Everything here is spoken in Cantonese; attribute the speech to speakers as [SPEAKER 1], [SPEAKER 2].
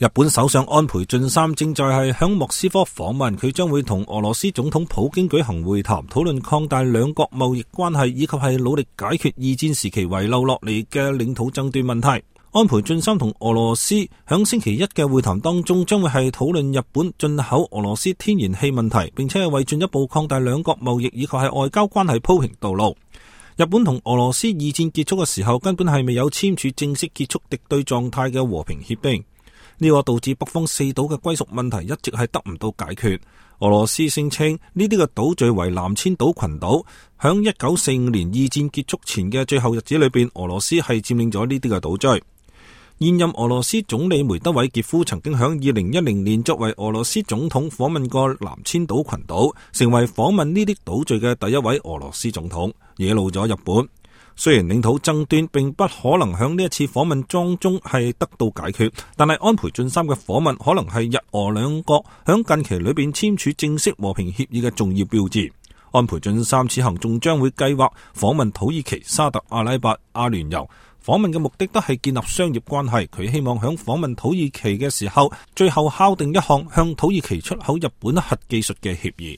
[SPEAKER 1] 日本首相安倍晉三正在係響莫斯科訪問，佢將會同俄羅斯總統普京舉行會談，討論擴大兩國貿易關係，以及係努力解決二戰時期遺留落嚟嘅領土爭端問題。安倍晉三同俄羅斯響星期一嘅會談當中，將會係討論日本進口俄羅斯天然氣問題，並且係為進一步擴大兩國貿易以及係外交關係鋪平道路。日本同俄羅斯二戰結束嘅時候，根本係未有簽署正式結束敵對狀態嘅和平協定，呢個導致北方四島嘅歸屬問題一直係得唔到解決。俄羅斯聲稱呢啲嘅島嶼為南千島群島，響1945年二戰結束前嘅最後日子裏邊，俄羅斯係佔領咗呢啲嘅島嶼。現任俄羅斯總理梅德韋傑夫曾經響2010年作為俄羅斯總統訪問過南千島群島，成為訪問呢啲島嶼嘅第一位俄羅斯總統，惹怒咗日本。雖然領土爭端並不可能響呢一次訪問當中係得到解決，但係安倍晉三嘅訪問可能係日俄兩國響近期裏邊簽署正式和平協議嘅重要標誌。安倍晉三此行仲將會計劃訪問土耳其、沙特阿拉伯、阿聯酋。訪問嘅目的都係建立商業關係，佢希望響訪問土耳其嘅時候，最後敲定一項向土耳其出口日本核技術嘅協議。